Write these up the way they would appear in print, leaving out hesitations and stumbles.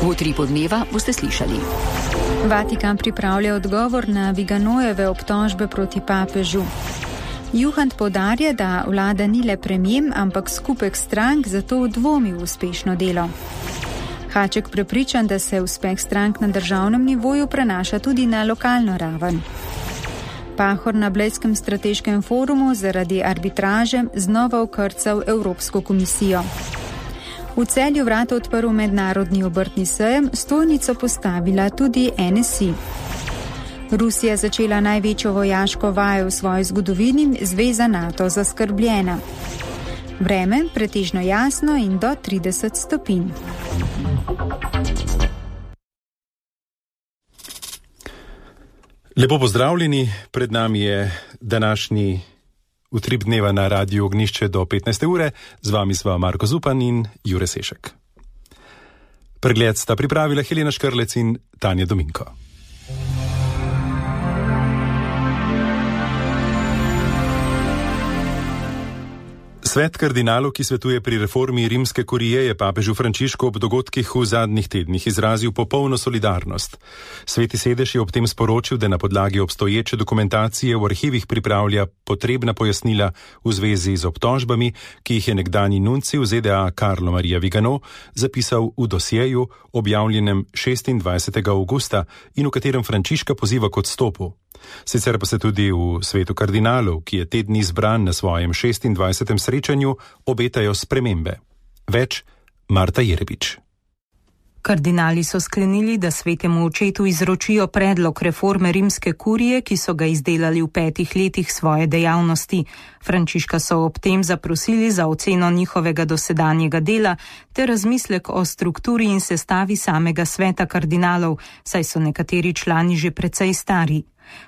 V Utripu dneva boste slišali. Vatikan pripravlja odgovor na Viganojeve obtožbe proti papežu. Juhant poudarja, da vlada ni le premijer, ampak skupek strank, zato dvomi v uspešno delo. Haček prepričan, da se uspeh strank na državnem nivoju prenaša tudi na lokalno raven. Pahor na Blejskem strateškem forumu zaradi arbitraže znova okrcal Evropsko komisijo. V Celju vrata odprl mednarodni obrtni sejem, stojnico postavila tudi NSI. Rusija začela največjo vojaško vajo v svoji zgodovini, zveza NATO zaskrbljena. Vreme pretežno jasno in do 30 stopinj. Lepo pozdravljeni, pred nami je današnji Utrip dneva na Radiu Ognjišče do 15. ure, z vami sva Marko Zupan in Jure Sešek. Pregled sta pripravila Helena Škrlec in Tanja Dominko. Svet kardinalov, ki svetuje pri reformi rimske kurije, je papežu Frančišku ob dogodkih v zadnjih tednih izrazil popolno solidarnost. Sveti sedež je ob tem sporočil, da na podlagi obstoječe dokumentacije v arhivih pripravlja potrebna pojasnila v zvezi z obtožbami, ki jih je nekdanji nuncij v ZDA Carlo Maria Vigano zapisal v dosjeju, objavljenem 26. avgusta in v katerem Frančiška poziva k odstopu. Sicer pa se tudi v svetu kardinalov, ki je te dni zbran na svojem 26. srečanju, obetajo spremembe. Več Marta Jerebič. Kardinali so sklenili, da svetemu očetu izročijo predlog reforme rimske kurije, ki so ga izdelali v 5 letih svoje dejavnosti. Frančiška so ob tem zaprosili za oceno njihovega dosedanjega dela ter razmislek o strukturi in sestavi samega sveta kardinalov, saj so nekateri člani že precej stari.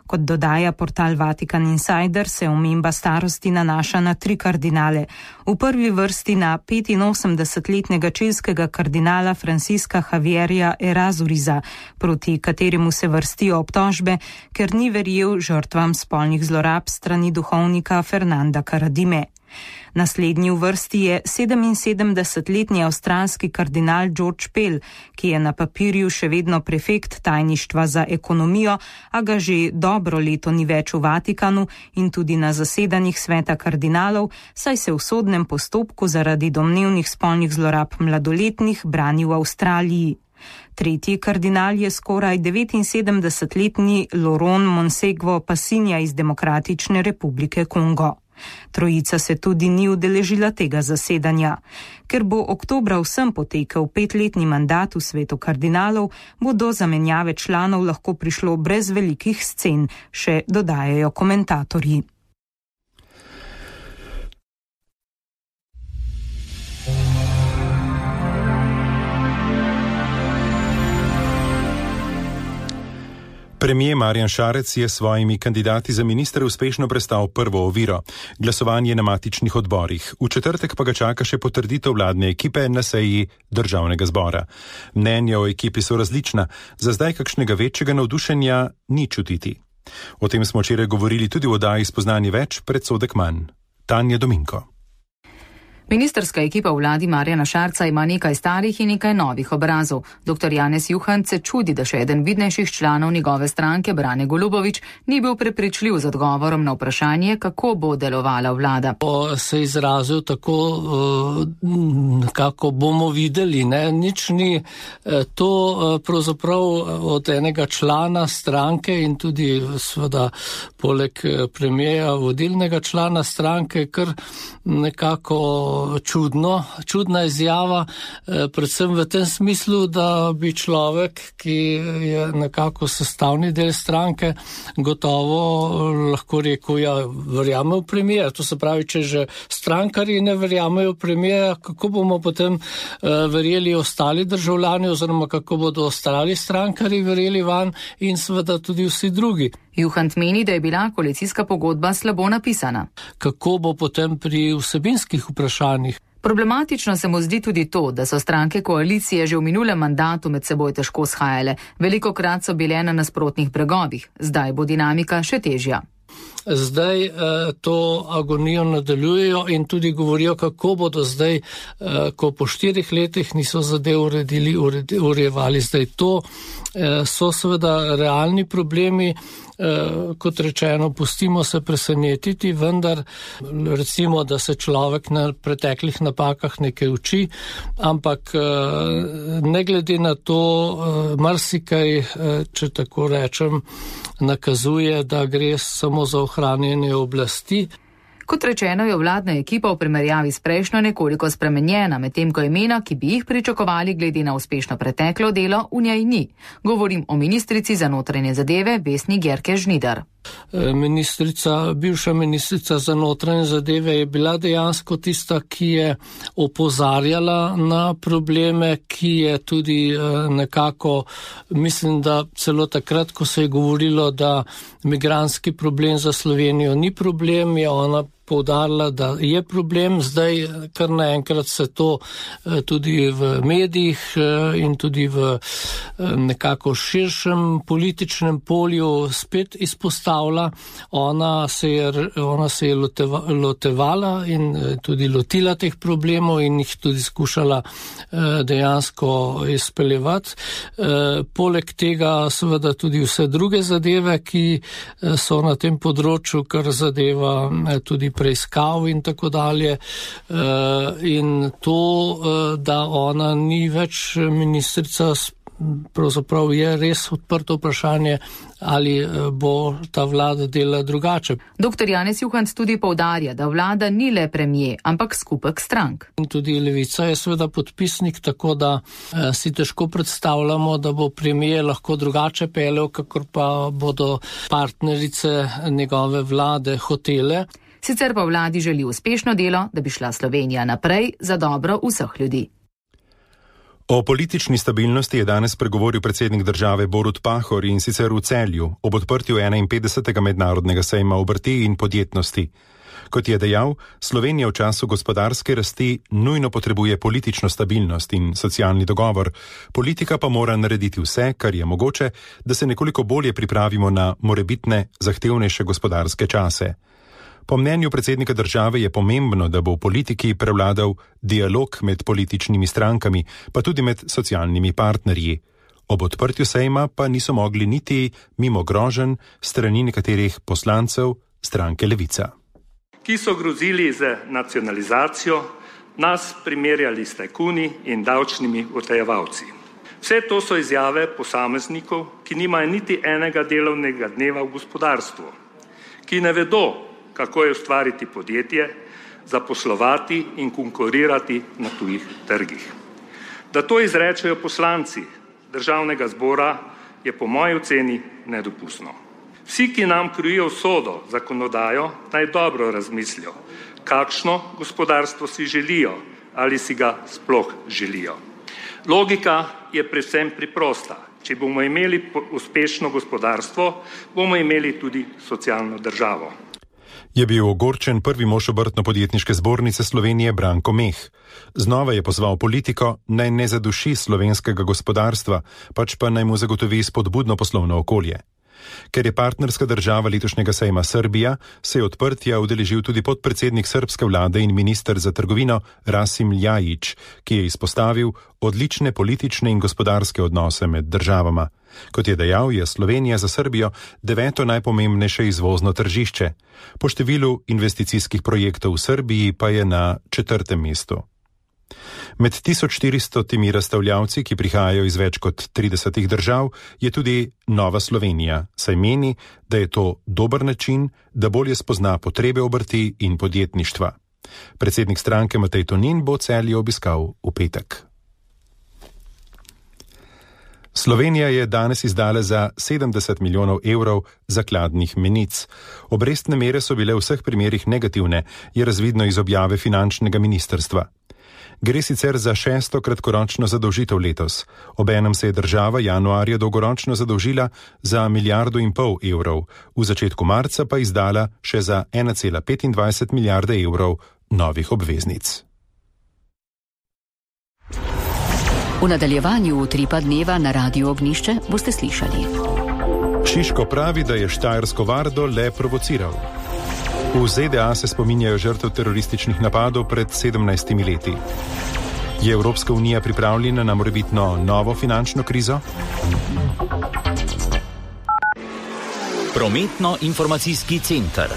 Kot dodaja portal Vatikan Insider, se omemba starosti nanaša na 3 kardinale. V prvi vrsti na 85-letnega čilskega kardinala Francisca Javierja Errázuriza, proti kateremu se vrstijo obtožbe, ker ni verjel žrtvam spolnih zlorab strani duhovnika Fernanda Karadime. Naslednji v vrsti je 77-letni avstralski kardinal George Pell, ki je na papirju še vedno prefekt tajništva za ekonomijo, a ga že dobro leto ni več v Vatikanu in tudi na zasedanjih sveta kardinalov, saj se v sodnem postopku zaradi domnevnih spolnih zlorab mladoletnih brani v Avstraliji. Tretji kardinal je skoraj 79-letni Laurent Monsegwo Passinja iz Demokratične republike Kongo. Trojica se tudi ni udeležila tega zasedanja. Ker bo oktobra vsem potekel 5-letni mandat v svetu kardinalov, bo do zamenjave članov lahko prišlo brez velikih scen, še dodajajo komentatorji. Premijer Marjan Šarec je s svojimi kandidati za ministre uspešno prestal prvo oviro, glasovanje na matičnih odborih. V četrtek pa ga čaka še potrditev vladne ekipe na seji Državnega zbora. Mnenja o ekipi so različna, za zdaj kakšnega večjega navdušenja ni čutiti. O tem smo včeraj govorili tudi v oddaji Spoznanje več, predsodek manj. Tanja Dominko. Ministrska ekipa v vladi Marjana Šarca ima nekaj starih in nekaj novih obrazov. Dr. Janez Juhant se čudi, da še eden vidnejših članov njegove stranke, Brane Golubović, ni bil prepričljiv z odgovorom na vprašanje, kako bo delovala vlada. Se izrazil tako, kako bomo videli, ne? Nič ni to pravzaprav od enega člana stranke in tudi seveda poleg premijeja vodilnega člana stranke, kar nekako čudna izjava, predvsem v tem smislu, da bi človek, ki je nekako sestavni del stranke, gotovo lahko rekel, ja, verjame v premijer. To se pravi, če že strankarji ne verjamejo v premijer, kako bomo potem verjeli ostali državljani oziroma kako bodo ostali strankarji verjeli van in seveda tudi vsi drugi. Juhant meni, da je bila koalicijska pogodba slabo napisana. Kako bo potem pri vsebinskih vprašanjih? Problematično se mu zdi tudi to, da so stranke koalicije že v minulem mandatu med seboj težko shajale. Velikokrat so bile na nasprotnih bregovih, zdaj bo dinamika še težja. zdaj to agonijo nadaljujejo in tudi govorijo, kako bodo zdaj, ko po 4 letih niso zadev urejevali. Zdaj to so seveda realni problemi, kot rečeno, pustimo se presenetiti, vendar recimo, da se človek na preteklih napakah nekaj uči, ampak ne glede na to, marsikaj, če tako rečem, nakazuje, da gre samo za ohranjanje oblasti. Kot rečeno, je vladna ekipa v primerjavi s prejšnjo nekoliko spremenjena, medtem ko imena, ki bi jih pričakovali glede na uspešno preteklo delo, v njej ni. Govorim o ministrici za notranje zadeve Vesni Györke Žnidar. Bivša ministrica za notranje zadeve je bila dejansko tista, ki je opozarjala na probleme, ki je tudi nekako, mislim, da celo takrat, ko se je govorilo, da migrantski problem za Slovenijo ni problem, je ona poudarila, da je problem. Zdaj kar naenkrat se to tudi v medijih in tudi v nekako širšem političnem polju spet izpostavlja. Ona se je lotevala in tudi lotila teh problemov in jih tudi skušala dejansko izpeljevati. Poleg tega seveda tudi vse druge zadeve, ki so na tem področju, kar zadeva tudi preiskav in tako dalje. In to, da ona ni več ministrica, pravzaprav je res odprto vprašanje, ali bo ta vlada delala drugače. Dr. Janez Juhant tudi poudarja, da vlada ni le premier, ampak skupek strank. In tudi Levica je seveda podpisnik, tako da si težko predstavljamo, da bo premier lahko drugače peljal, kakor pa bodo partnerice njegove vlade hotele. Sicer pa vladi želi uspešno delo, da bi šla Slovenija naprej za dobro vseh ljudi. O politični stabilnosti je danes pregovoril predsednik države Borut Pahor in sicer v Celju ob odprtju 51. mednarodnega sejma obrti in podjetnosti. Kot je dejal, Slovenija v času gospodarske rasti nujno potrebuje politično stabilnost in socialni dogovor, politika pa mora narediti vse, kar je mogoče, da se nekoliko bolje pripravimo na morebitne zahtevnejše gospodarske čase. Po mnenju predsednika države je pomembno, da bo v politiki prevladal dialog med političnimi strankami, pa tudi med socialnimi partnerji. Ob odprtju sejma pa niso mogli niti mimo groženj strani nekaterih poslancev stranke Levica. Ki so grozili z nacionalizacijo, nas primerjali s tajkuni in davčnimi utajevalci. Vse to so izjave posameznikov, ki nimajo niti enega delovnega dneva v gospodarstvu, ki ne vedo, kako je ustvariti podjetje, zaposlovati in konkurirati na tujih trgih. Da to izrečejo poslanci Državnega zbora, je po moji oceni nedopustno. Vsi, ki nam krojijo usodo, zakonodajo, naj dobro razmislijo, kakšno gospodarstvo si želijo ali si ga sploh želijo. Logika je predvsem preprosta. Če bomo imeli uspešno gospodarstvo, bomo imeli tudi socialno državo. Je bil ogorčen prvi mož Obrtno-podjetniške zbornice Slovenije Branko Meh. Znova je pozval politiko, naj ne zaduši slovenskega gospodarstva, pač pa naj mu zagotovi spodbudno poslovno okolje. Ker je partnerska država letošnjega sejma Srbija, se je odprtja udeležil tudi podpredsednik srbske vlade in minister za trgovino Rasim Ljajić, ki je izpostavil odlične politične in gospodarske odnose med državama. Kot je dejal, je Slovenija za Srbijo 9. najpomembnejše izvozno tržišče. Po številu investicijskih projektov v Srbiji pa je na 4. mestu. Med 1400 razstavljavci, ki prihajajo iz več kot 30 držav, je tudi Nova Slovenija, saj meni, da je to dober način, da bolje spozna potrebe obrti in podjetništva. Predsednik stranke Matej Tonin bo Celje obiskal v petek. Slovenija je danes izdala za 70 milijonov evrov zakladnih menic. Obrestne mere so bile v vseh primerih negativne, je razvidno iz objave finančnega ministrstva. Gre sicer za 6. kratkoročno zadolžitev letos. Obenem se je država januarja dolgoročno zadolžila za 1,5 milijarde evrov, v začetku marca pa izdala še za 1,25 milijarde evrov novih obveznic. V nadaljevanju Utripa dneva na Radiu Ognjišče boste slišali. Šiško pravi, da je štajersko Vardo le provociral. V ZDA se spominjajo žrtev terorističnih napadov pred 17 leti. Je Evropska unija pripravljena na morebitno novo finančno krizo? Prometno-informacijski center.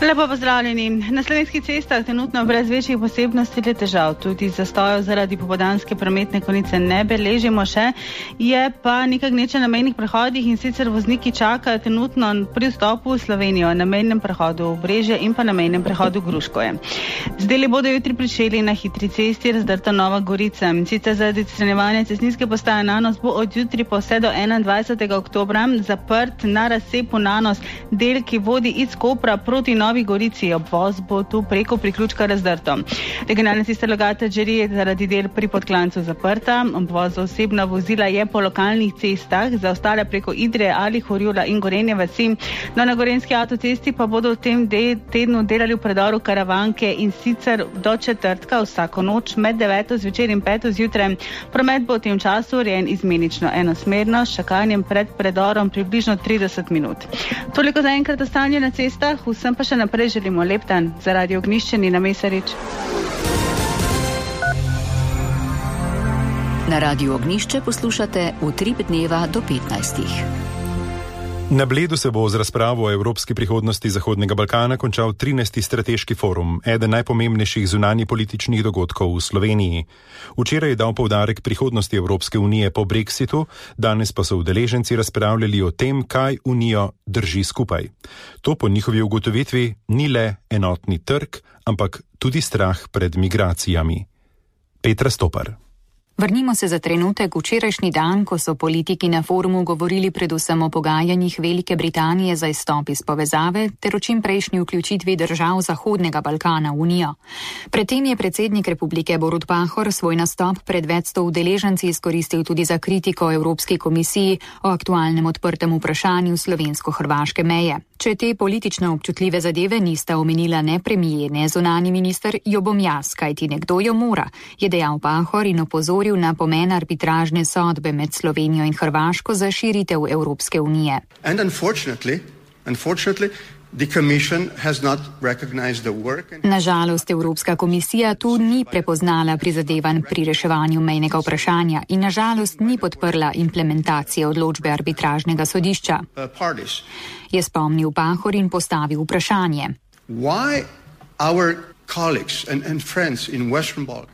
Lepo pozdravljeni. Na slovenskih cestah trenutno brez večjih posebnosti le težav, tudi zastojev zaradi popoldanske prometne konice ne beležimo še, je pa nekaj gneče na mejnih prehodih in sicer vozniki čakajo trenutno pri vstopu v Slovenijo na mejnem prehodu Obrežje in pa na mejnem prehodu Gruškoje. Z deli bodo jutri pričeli na hitri cesti Razdrta Nova Gorica. Sicer zaradi odstranjevanja cestninske postaje Nanos bo od jutri pa vse do 21. oktobra zaprt na razcepu Nanos del, ki vodi iz Kopra proti Novi Gorici. Obvoz bo tu preko priključka Razdrto. Regionalna cesta Logatec-Žiri je zaradi del pri Podklancu zaprta. Obvoz za osebna vozila je po lokalnih cestah, za ostale preko Idrije ali Horjula in Gorenje vasi. No, na gorenjski avtocesti pa bodo v tem tednu delali v predoru Karavanke in sicer do četrtka vsako noč med 9. zvečer in 5. zjutraj. Promet bo v tem času urejen izmenično enosmerno, s čakanjem pred predorom približno 30 minut. Toliko za enkrat o stanju na cestah, vsem pa še naprej želimo lep dan. Za Radio Ognjišče Nina Mesarič. Na Radio Ognjišče poslušate Utrip dneva do 15. Na Bledu se bo z razpravo o evropski prihodnosti Zahodnega Balkana končal 13. strateški forum, eden najpomembnejših zunanji političnih dogodkov v Sloveniji. Včeraj je dal poudarek prihodnosti Evropske unije po Brexitu, danes pa so udeleženci razpravljali o tem, kaj Unijo drži skupaj. To po njihovi ugotovitvi ni le enotni trg, ampak tudi strah pred migracijami. Petra Stopar. Vrnimo se za trenutek v včerajšnji dan, ko so politiki na forumu govorili predvsem o pogajanjih Velike Britanije za izstop iz povezave ter o čimprejšnji vključitvi držav Zahodnega Balkana v Unijo. Predtem je predsednik republike Borut Pahor svoj nastop pred več sto udeleženci izkoristil tudi za kritiko Evropski komisiji o aktualnem odprtem vprašanju slovensko-hrvaške meje. Če te politično občutljive zadeve nista omenila ne premijer, ne zunanji minister, jo bom jaz, kajti nekdo jo mora, je dejal Pahor in opozoril na pomen arbitražne sodbe med Slovenijo in Hrvaško za širitev Evropske unije. Nažalost, Evropska komisija tu ni prepoznala prizadevanj pri reševanju mejnega vprašanja in nažalost ni podprla implementacije odločbe arbitražnega sodišča. Je spomnil Pahor in postavil vprašanje.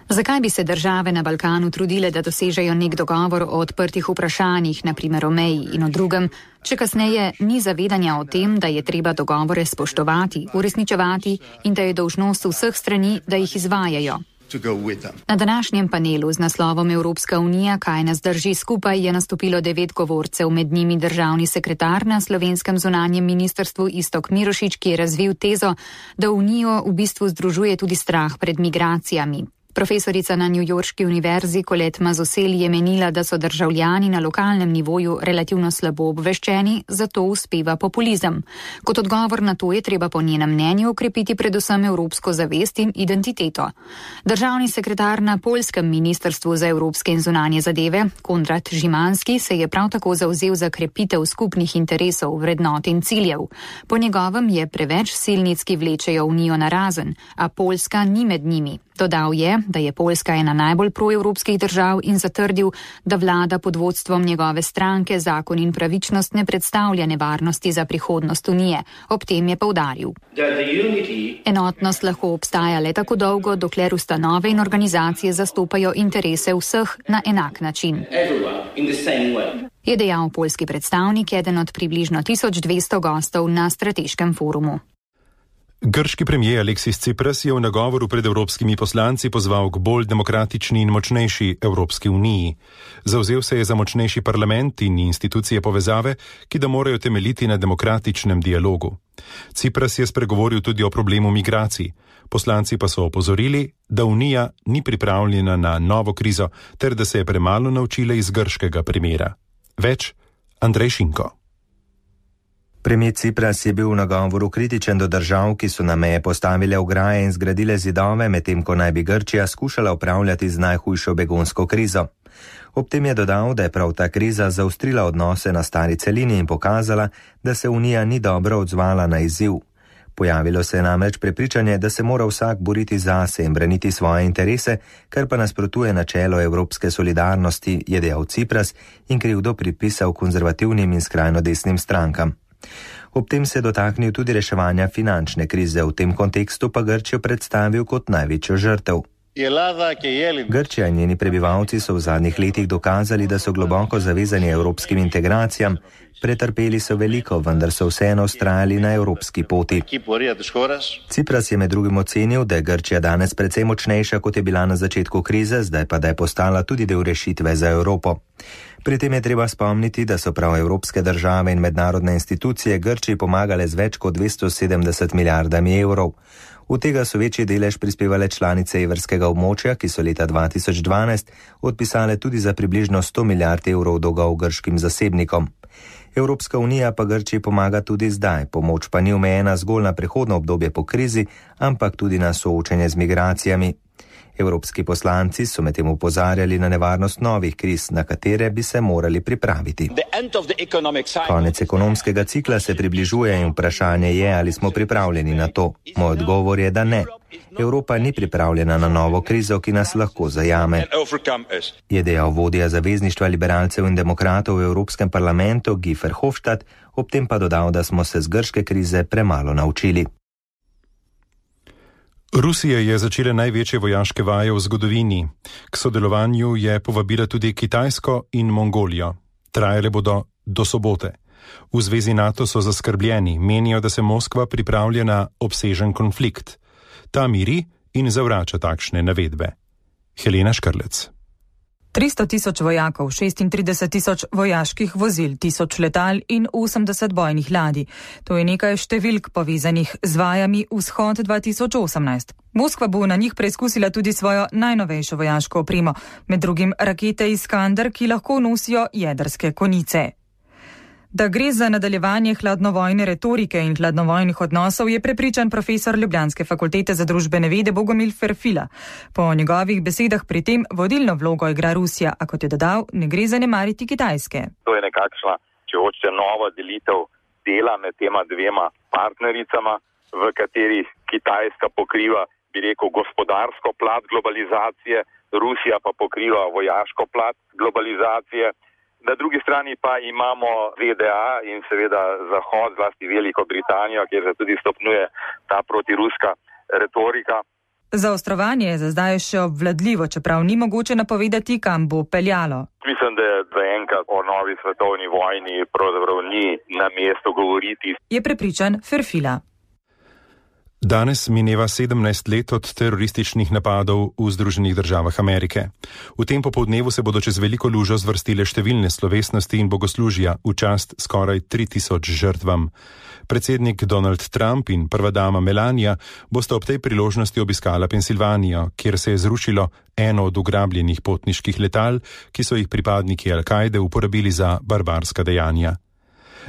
Zakaj bi se države na Balkanu trudile, da dosežejo nek dogovor o odprtih vprašanjih, na primer o meji in o drugem, če kasneje ni zavedanja o tem, da je treba dogovore spoštovati, uresničevati in da je dolžnost vseh strani, da jih izvajajo. Na današnjem panelu z naslovom Evropska unija, kaj nas drži skupaj, je nastopilo 9 govorcev, med njimi državni sekretar na slovenskem zunanjem ministrstvu Iztok Mirošič, ki je razvil tezo, da Unijo v bistvu združuje tudi strah pred migracijami. Profesorica na newyorški univerzi Colette Mazzucchelli je menila, da so državljani na lokalnem nivoju relativno slabo obveščeni, zato uspeva populizem. Kot odgovor na to je treba po njenem mnenju okrepiti predvsem evropsko zavest in identiteto. Državni sekretar na poljskem ministrstvu za evropske in zunanje zadeve, Konrad Žimanski, se je prav tako zavzel za krepitev skupnih interesov, vrednot in ciljev. Po njegovem je preveč silnic, ki vlečejo Unijo na razen, a Poljska ni med njimi. Dodal je, da je Poljska ena najbolj proevropskih držav in zatrdil, da vlada pod vodstvom njegove stranke Zakon in pravičnost ne predstavlja nevarnosti za prihodnost Unije. Ob tem je poudaril. Enotnost lahko obstaja le tako dolgo, dokler ustanove in organizacije zastopajo interese vseh na enak način. Je dejal poljski predstavnik, eden od približno 1200 gostov na strateškem forumu. Grški premijer Aleksis Cipras je v nagovoru pred evropskimi poslanci pozval k bolj demokratični in močnejši Evropski uniji. Zavzel se je za močnejši parlament in institucije povezave, ki da morajo temeljiti na demokratičnem dialogu. Cipras je spregovoril tudi o problemu migracij. Poslanci pa so opozorili, da Unija ni pripravljena na novo krizo ter da se je premalo naučila iz grškega primera. Več Andrej Šinko. Premijer Cipras je bil v nagovoru kritičen do držav, ki so na meje postavile ograje in zgradile zidove, medtem ko naj bi Grčija skušala upravljati z najhujšo begunsko krizo. Ob tem je dodal, da je prav ta kriza zaostrila odnose na stari celini in pokazala, da se Unija ni dobro odzvala na izziv. Pojavilo se je namreč prepričanje, da se mora vsak boriti zase in braniti svoje interese, kar pa nasprotuje načelo evropske solidarnosti, je dejal Tsipras in krivdo pripisal konzervativnim in skrajno desnim strankam. Ob tem se je dotaknil tudi reševanja finančne krize, v tem kontekstu pa Grčijo predstavil kot največjo žrtev. Grčija in njeni prebivalci so v zadnjih letih dokazali, da so globoko zavezani evropskim integracijam, pretrpeli so veliko, vendar so vseeno vztrajali na evropski poti. Tsipras je med drugim ocenil, da je Grčija danes precej močnejša, kot je bila na začetku krize, zdaj pa da je postala tudi del rešitve za Evropo. Pri tem je treba spomniti, da so prav evropske države in mednarodne institucije Grčiji pomagale z več kot 270 milijardami evrov. V tega so večji delež prispevale članice evrskega območja, ki so leta 2012 odpisale tudi za približno 100 milijard evrov dolgov grškim zasebnikom. Evropska unija pa Grčiji pomaga tudi zdaj, pomoč pa ni omejena zgolj na prehodno obdobje po krizi, ampak tudi na soočenje z migracijami. Evropski poslanci so medtem opozarjali na nevarnost novih kriz, na katere bi se morali pripraviti. Konec ekonomskega cikla se približuje in vprašanje je, ali smo pripravljeni na to. Moj odgovor je, da ne. Evropa ni pripravljena na novo krizo, ki nas lahko zajame, je dejal vodja zavezništva liberalcev in demokratov v Evropskem parlamentu Guy Verhofstadt, ob tem pa dodal, da smo se z grške krize premalo naučili. Rusija je začela največje vojaške vaje v zgodovini. K sodelovanju je povabila tudi Kitajsko in Mongolijo. Trajale bodo do sobote. V zvezi NATO so zaskrbljeni, menijo, da se Moskva pripravlja na obsežen konflikt. Ta miri in zavrača takšne navedbe. Helena Škrlec. 300 tisoč vojakov, 36 tisoč vojaških vozil, 1000 letal in 80 bojnih ladij. To je nekaj številk povezanih z vajami Vzhod 2018. Moskva bo na njih preizkusila tudi svojo najnovejšo vojaško opremo, med drugim rakete Iskander, ki lahko nosijo jedrske konice. Da gre za nadaljevanje hladnovojne retorike in hladnovojnih odnosov, je prepričan profesor Ljubljanske fakultete za družbene vede Bogomil Ferfila. Po njegovih besedah pri tem vodilno vlogo igra Rusija, a kot je dodal, ne gre zanemariti Kitajske. To je nekakšna, če hočete, nova delitev dela med tema dvema partnericama, v kateri Kitajska pokriva, bi rekel, gospodarsko plat globalizacije, Rusija pa pokriva vojaško plat globalizacije. Na drugi strani pa imamo ZDA in seveda Zahod, zlasti Veliko Britanijo, kjer se tudi stopnjuje ta protiruska retorika. Zaostrovanje je za zdaj še obvladljivo, čeprav ni mogoče napovedati, kam bo peljalo. Mislim, da zaenkrat o novi svetovni vojni pravzaprav ni na mestu govoriti, je prepričan Ferfila. Danes mineva 17 let od terorističnih napadov v Združenih državah Amerike. V tem popoldnevu se bodo čez veliko lužo zvrstile številne slovesnosti in bogoslužja v čast skoraj 3000 žrtvam. Predsednik Donald Trump in prva dama Melania bosta ob tej priložnosti obiskala Pensilvanijo, kjer se je zrušilo eno od ugrabljenih potniških letal, ki so jih pripadniki Al-Kaide uporabili za barbarska dejanja.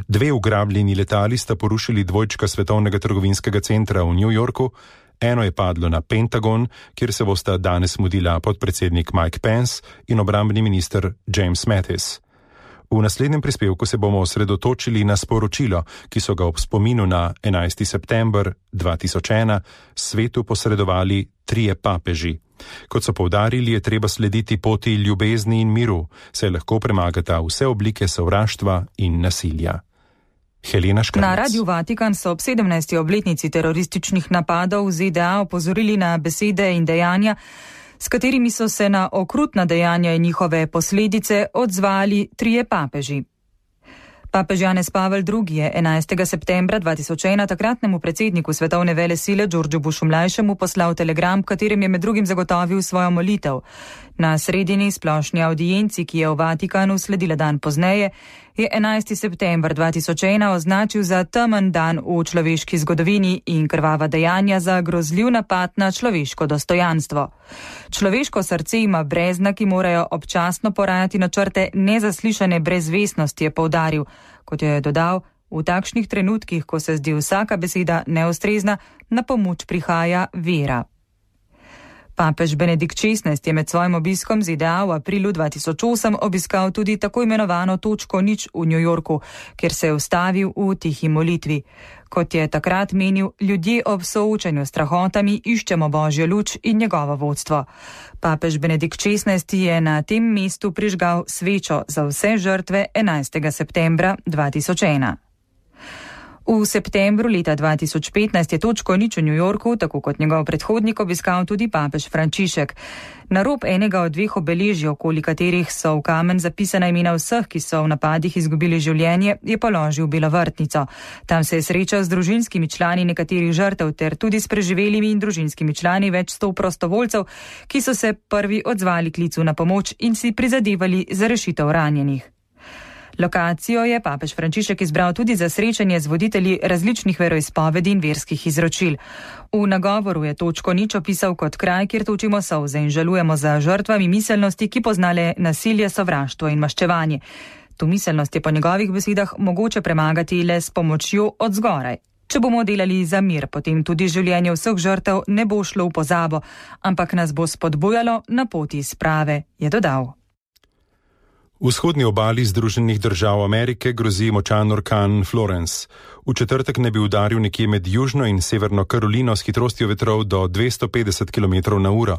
2 ugrabljeni letali sta porušili dvojčka Svetovnega trgovinskega centra v New Yorku, eno je padlo na Pentagon, kjer se bosta danes mudila podpredsednik Mike Pence in obrambni minister James Mattis. V naslednjem prispevku se bomo osredotočili na sporočilo, ki so ga ob spominu na 11. september 2001 svetu posredovali 3 papeži. Kot so poudarili, je treba slediti poti ljubezni in miru, saj lahko premagata vse oblike sovraštva in nasilja. Helena Škrlec. Na Radiu Vatikan so ob 17. obletnici terorističnih napadov v ZDA opozorili na besede in dejanja, s katerimi so se na okrutna dejanja in njihove posledice odzvali 3 papeži. Papež Janez Pavel II. Je 11. septembra 2001 takratnemu predsedniku svetovne velesile Georgeu Bushu mlajšemu poslal telegram, katerem je med drugim zagotovil svojo molitev. Na sredini splošni audienci, ki je v Vatikanu sledila dan pozneje, je 11. september 2001 označil za temen dan v človeški zgodovini in krvava dejanja za grozljiv napad na človeško dostojanstvo. Človeško srce ima brezna, ki morajo občasno porajati načrte nezaslišane brezvestnosti, je poudaril. Kot je dodal, v takšnih trenutkih, ko se zdi vsaka beseda neustrezna, na pomoč prihaja vera. Papež Benedikt XVI je med svojim obiskom ZDA v aprilu 2008 obiskal tudi tako imenovano točko nič v New Yorku, kjer se je ustavil v tihi molitvi. Kot je takrat menil, ljudje ob soočanju s strahotami iščemo Božjo luč in njegovo vodstvo. Papež Benedikt XVI je na tem mestu prižgal svečo za vse žrtve 11. septembra 2001. V septembru leta 2015 je točko nič v New Yorku, tako kot njegov predhodnik, obiskal tudi papež Frančišek. Na rob enega od dveh obeležij, okoli katerih so v kamen zapisana imena vseh, ki so v napadih izgubili življenje, je položil belo vrtnico. Tam se je srečal z družinskimi člani nekaterih žrtev ter tudi s preživelimi in družinskimi člani več 100 prostovoljcev, ki so se prvi odzvali klicu na pomoč in si prizadevali za rešitev ranjenih. Lokacijo je papež Frančišek izbral tudi za srečanje z voditelji različnih veroizpovedi in verskih izročil. V nagovoru je točko nič opisal kot kraj, kjer točimo solze in žalujemo za žrtvami miselnosti, ki poznale nasilje, sovraštvo in maščevanje. To miselnost je po njegovih besedah mogoče premagati le s pomočjo od zgoraj. Če bomo delali za mir, potem tudi življenje vseh žrtev ne bo šlo v pozabo, ampak nas bo spodbujalo na poti sprave, je dodal. Vzhodni obali Združenih držav Amerike grozi močan orkan Florence. V četrtek ne bi udaril nekje med Južno in Severno Karolino s hitrostjo vetrov do 250 km/h.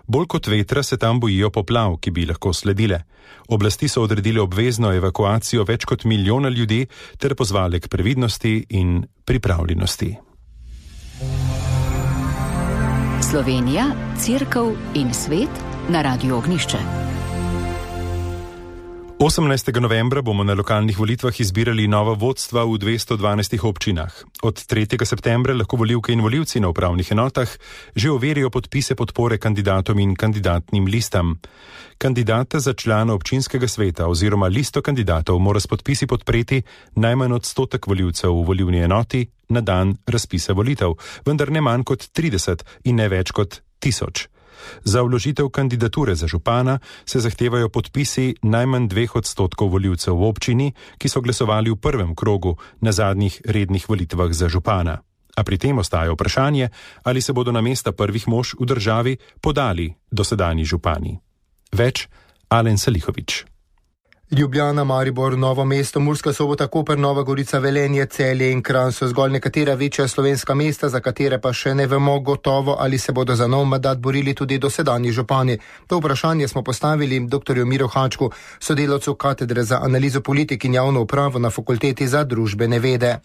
Bolj kot vetra se tam bojijo poplav, ki bi lahko sledile. Oblasti so odredile obvezno evakuacijo več kot milijona ljudi ter pozvale k previdnosti in pripravljenosti. Slovenija, Cerkev in svet na Radiu Ognjišče. 18. novembra bomo na lokalnih volitvah izbirali nova vodstva v 212 občinah. Od 3. septembra lahko volivke in volivci na upravnih enotah že overijo podpise podpore kandidatom in kandidatnim listam. Kandidata za člana občinskega sveta oziroma listo kandidatov mora s podpisi podpreti najmanj odstotek volivcev v volilni enoti na dan razpisa volitev, vendar ne manj kot 30 in ne več kot 1000. Za vložitev kandidature za župana se zahtevajo podpisi najmanj 2% volivcev v občini, ki so glasovali v prvem krogu na zadnjih rednih volitvah za župana. A pri tem ostaja vprašanje, ali se bodo na mesta prvih mož v državi podali dosedanji župani. Več Alen Salihović. Ljubljana, Maribor, Novo mesto, Murska Sobota, Koper, Nova Gorica, Velenje, Celje in Kranj so zgolj nekatera večja slovenska mesta, za katere pa še ne vemo gotovo, ali se bodo za nov mandat borili tudi dosedanji župani. To vprašanje smo postavili dr. Miru Hačku, sodelavcu katedre za analizo politik in javno upravo na Fakulteti za družbene vede.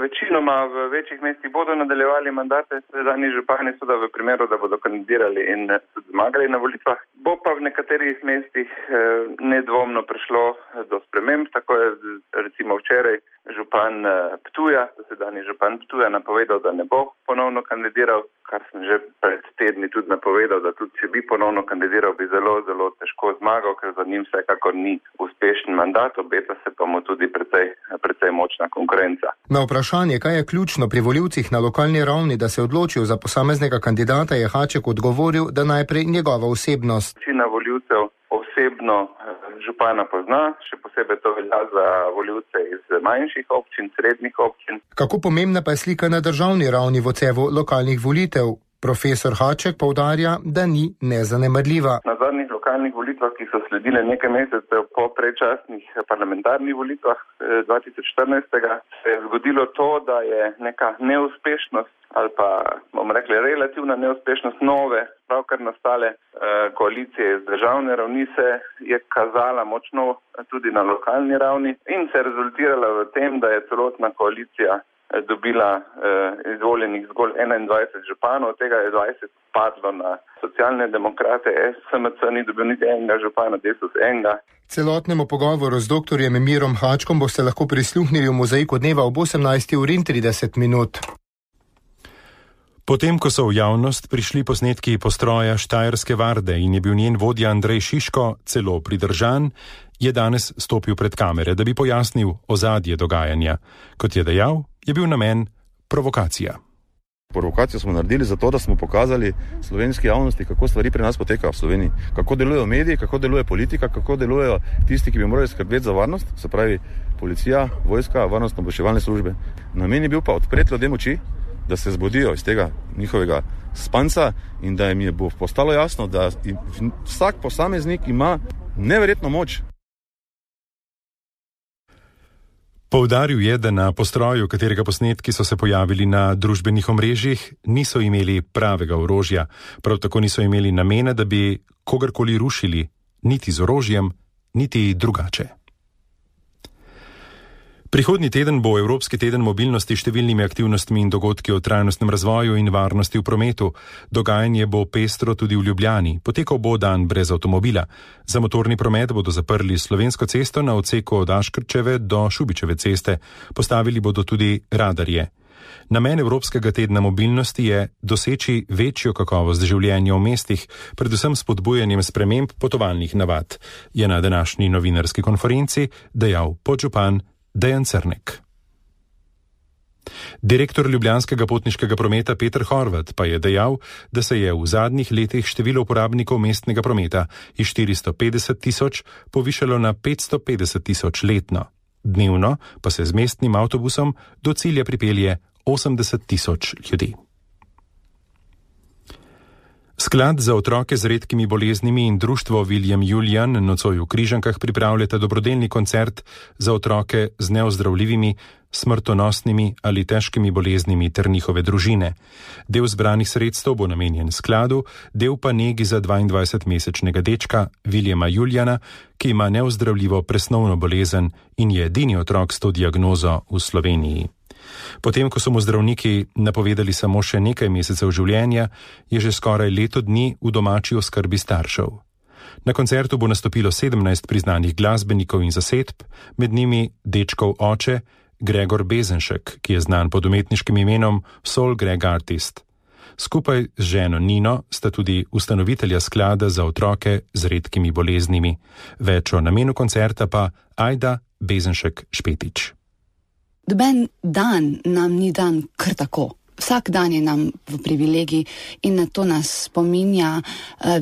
Večinoma v večjih mestih bodo nadaljevali mandate, sedanji župani so da v primeru, da bodo kandidirali in zmagali na volitvah. Bo pa v nekaterih mestih nedvomno prišlo do sprememb, tako je recimo včeraj župan Ptuja, sedanji župan Ptuja napovedal, da ne bo ponovno kandidiral, kar sem že pred tedni tudi napovedal, da tudi če bi ponovno kandidiral, bi zelo, zelo težko zmagal, ker za njim vsekakor ni uspešen mandat, obeta se pa mu tudi precej močna konkurenca. Na vprašanje, kaj je ključno pri volivcih na lokalni ravni, da se odločijo za posameznega kandidata, je Haček odgovoril, da najprej njegova osebnost. Večina volivcev osebno župana pozna, še posebej to velja za volivce iz manjših občin, srednjih občin. Kako pomembna pa je slika na državni ravni v odsevu lokalnih volitev? Profesor Haček poudarja, da ni nezanemarljiva. Na zadnjih lokalnih volitvah, ki so sledile nekaj mesecev po predčasnih parlamentarnih volitvah 2014, se je zgodilo to, da je neka neuspešnost ali pa, bomo rekli, relativna neuspešnost nove, pravkar nastale koalicije iz državne ravni se je kazala močno tudi na lokalni ravni in se je rezultirala v tem, da je celotna koalicija dobila izvoljenih zgolj 21 županov, od tega je 20 padlo na socialne demokrate, SMC ni dobil niti enega župana, Desus enega. Celotnemu pogovoru z dr. Mirom Hačkom boste lahko prisluhnili v Mozaiku dneva ob 18:30. Potem, ko so v javnost prišli posnetki postroja Štajerske varde in je bil njen vodja Andrej Šiško celo pridržan, je danes stopil pred kamere, da bi pojasnil ozadje dogajanja. Kot je dejal, je bil namen provokacija. Provokacijo smo naredili zato, da smo pokazali slovenski javnosti, kako stvari pri nas potekajo v Sloveniji. Kako delujejo mediji, kako deluje politika, kako delujejo tisti, ki bi morali skrbeti za varnost, se pravi policija, vojska, varnostno-obveščevalne službe. Namen je bil pa odpreti ljudem oči, da se zbudijo iz tega njihovega spanca in da jim bo postalo jasno, da vsak posameznik ima neverjetno moč. Poudaril je, da na postroju, katerega posnetki so se pojavili na družbenih omrežjih, niso imeli pravega orožja, prav tako niso imeli namena, da bi kogarkoli rušili, niti z orožjem, niti drugače. Prihodnji teden bo Evropski teden mobilnosti s številnimi aktivnostmi in dogodki o trajnostnem razvoju in varnosti v prometu. Dogajanje bo pestro tudi v Ljubljani. Potekal bo dan brez avtomobila. Za motorni promet bodo zaprli Slovensko cesto na odseku od Aškrčeve do Šubičeve ceste. Postavili bodo tudi radarje. Namen Evropskega tedna mobilnosti je doseči večjo kakovost življenja v mestih, predvsem s spodbujanjem sprememb potovalnih navad, je na današnji novinarski konferenci dejal podžupan Dejan Crnek. Direktor ljubljanskega potniškega prometa Peter Horvat pa je dejal, da se je v zadnjih letih število uporabnikov mestnega prometa iz 450 tisoč povišalo na 550 tisoč letno. Dnevno pa se z mestnim avtobusom do cilja pripelje 80 tisoč ljudi. Sklad za otroke z redkimi boleznimi in društvo William Julian nocoj v Križankah pripravljata dobrodelni koncert za otroke z neozdravljivimi, smrtonosnimi ali težkimi boleznimi ter njihove družine. Del zbranih sredstev bo namenjen skladu, del pa negi za 22-mesečnega dečka Williama Juliana, ki ima neozdravljivo presnovno bolezen in je edini otrok s to diagnozo v Sloveniji. Potem, ko so mu zdravniki napovedali samo še nekaj mesecev življenja, je že skoraj leto dni v domači oskrbi staršev. Na koncertu bo nastopilo 17 priznanih glasbenikov in zasedb, med njimi dečkov oče Gregor Bezenšek, ki je znan pod umetniškim imenom Soul Greg Artist. Skupaj z ženo Nino sta tudi ustanovitelja sklada za otroke z redkimi boleznimi. Več o namenu koncerta pa Ajda Bezenšek Špetič. Doben dan nam ni dan kar tako. Vsak dan je nam v privilegiji in na to nas spominja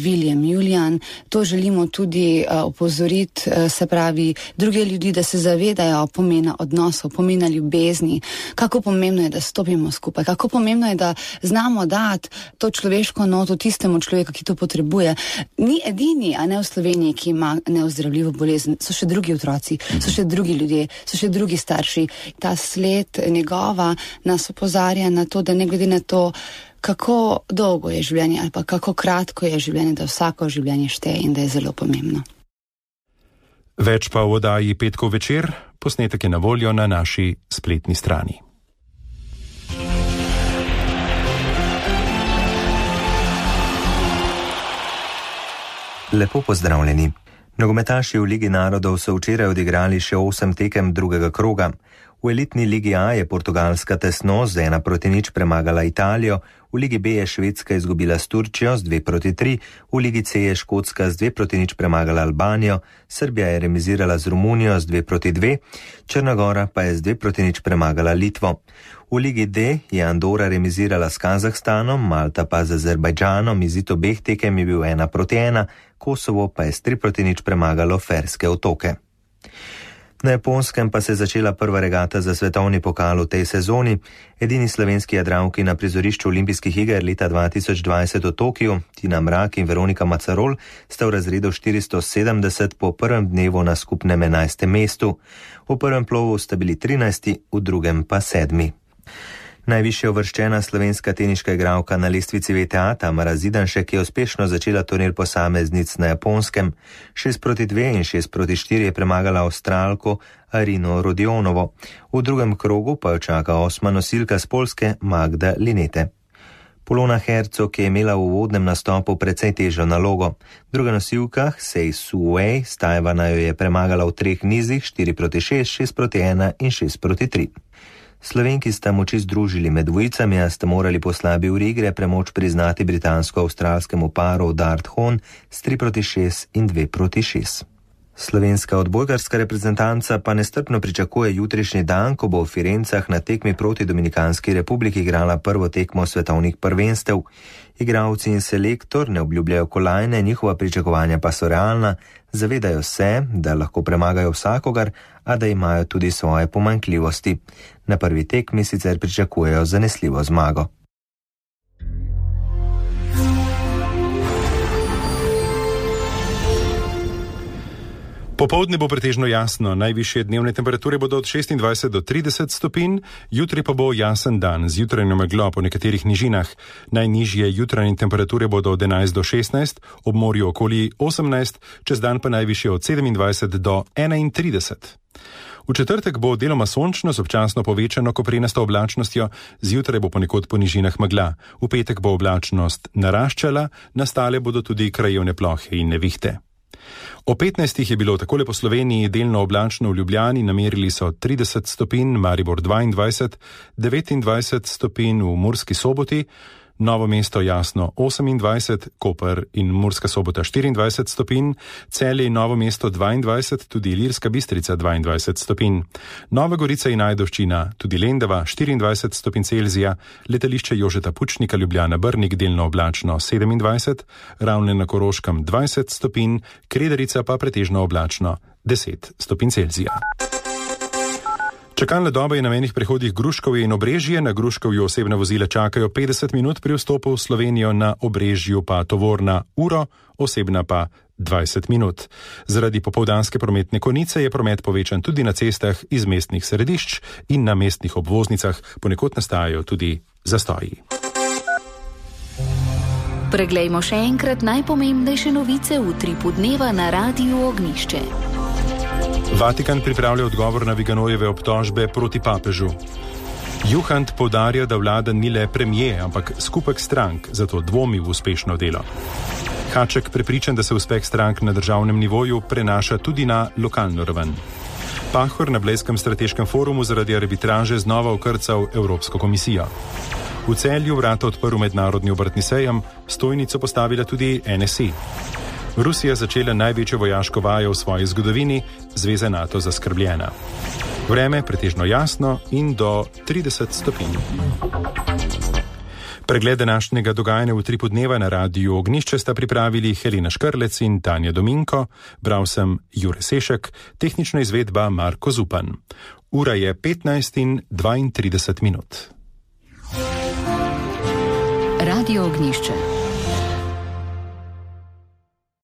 William Julian. To želimo tudi opozoriti, se pravi, druge ljudi, da se zavedajo pomena odnosov, pomena ljubezni, kako pomembno je, da stopimo skupaj, kako pomembno je, da znamo dati to človeško noto tistemu človeku, ki to potrebuje. Ni edini, a ne v Sloveniji, ki ima neozdravljivo bolezen. So še drugi otroci, so še drugi ljudje, so še drugi starši. Ta sled njegova nas opozarja na to, da ne glede na to, kako dolgo je življenje ali pa kako kratko je življenje, da vsako življenje šteje in da je zelo pomembno. Več pa v oddaji Petkov večer, posnetek je na voljo na naši spletni strani. Lepo pozdravljeni. Nogometaši v Ligi narodov so včeraj odigrali še 8 tekem drugega kroga. V elitni Ligi A je Portugalska tesno z 1-0 premagala Italijo, v Ligi B je Švedska izgubila s Turčijo z 2-3, v Ligi C je Škotska z 2-0 premagala Albanijo, Srbija je remizirala z Romunijo z 2-2, Črna Gora pa je z 2-0 premagala Litvo. V Ligi D je Andora remizirala s Kazahstanom, Malta pa z Azerbajdžanom, izid obeh tekem je bil 1-1, Kosovo pa je s 3-0 premagalo Ferske otoke. Na Japonskem pa se je začela prva regata za svetovni pokal v tej sezoni. Edini slovenski jadralki na prizorišču olimpijskih iger leta 2020 v Tokiu, Tina Mrak in Veronika Macarol, sta v razredu 470 po prvem dnevu na skupnem 11. mestu. V prvem plovu sta bili 13., v drugem pa 7. Najvišje uvrščena slovenska teniška igralka na lestvici VTA Tamara Zidanšek je uspešno začela turnir posameznic na Japonskem. 6-2 in 6-4 je premagala Avstralko Arino Rodionovo. V drugem krogu pa jo čaka 8. nosilka z Poljske Magda Linete. Polona Hercog je imela v uvodnem nastopu precej težjo nalogo. Druga nosilka Sei Su Wei z Tajvana jo je premagala v 3 nizih 4-6, 6-1 in 6-3. Slovenki sta moči združili med dvojicami, a sta morali po slabi uri igre premoč priznati britansko-avstralskemu paru Dart Hon s 3-6 in 2-6. Slovenska odbojkarska reprezentanca pa nestrpno pričakuje jutrišnji dan, ko bo v Firencah na tekmi proti Dominikanski republiki igrala prvo tekmo svetovnih prvenstev. Igralci in selektor ne obljubljajo kolajne, njihova pričakovanja pa so realna, zavedajo se, da lahko premagajo vsakogar, a da imajo tudi svoje pomanjkljivosti. Na prvi tekmi sicer pričakujejo zanesljivo zmago. Popoldne bo pretežno jasno, najvišje dnevne temperature bodo od 26 do 30 stopinj, jutri pa bo jasen dan z jutranjo meglo po nekaterih nižinah. Najnižje jutranje temperature bodo od 11 do 16, ob morju okoli 18, čez dan pa najvišje od 27 do 31. V četrtek bo deloma sončno z občasno povečano koprenasto oblačnostjo, zjutraj bo ponekod po nižinah megla. V petek bo oblačnost naraščala, nastale bodo tudi krajevne plohe in nevihte. O 15 je bilo takole po Sloveniji delno oblačno v Ljubljani, namerili so 30 stopinj, Maribor 22, 29 stopinj v Murski Soboti, Novo mesto jasno 28, Koper in Murska Sobota 24 stopinj, Celje in Novo mesto 22, tudi Ilirska Bistrica 22 stopinj, Nova Gorica in Ajdovščina, tudi Lendava 24 stopinj Celzija, letališče Jožeta Pučnika Ljubljana Brnik delno oblačno 27, Ravne na Koroškem 20 stopinj, Krederica pa pretežno oblačno 10 stopinj Celzija. Čakalna doba je na mejnih prehodih Gruškovje in Obrežje. Na Gruškovju osebna vozila čakajo 50 minut pri vstopu v Slovenijo, na Obrežju pa tovorna uro, osebna pa 20 minut. Zaradi popoldanske prometne konice je promet povečan tudi na cestah iz mestnih središč in na mestnih obvoznicah, ponekod nastajajo tudi zastoji. Preglejmo še enkrat najpomembnejše novice v utripu dneva na Radiu Ognišče. Vatikan pripravlja odgovor na Viganojeve obtožbe proti papežu. Juhant poudarja, da vlada ni le premijer, ampak skupek strank, zato dvomi v uspešno delo. Haček prepričan, da se uspeh strank na državnem nivoju prenaša tudi na lokalno raven. Pahor na Blejskem strateškem forumu zaradi arbitraže znova okrcal Evropsko komisijo. V Celju vrata odprl mednarodni obrtni sejem, stojnico postavila tudi NSI. Rusija začela največjo vojaško vajo v svoji zgodovini, zveza NATO zaskrbljena. Vreme pretežno jasno in do 30 stopinj. Pregled današnjega dogajanja v utripu dneva na Radiu Ognišče sta pripravili Helena Škrlec in Tanja Dominko, bral sem Jure Sešek, tehnična izvedba Marko Zupan. Ura je 15:32. Radio Ognišče.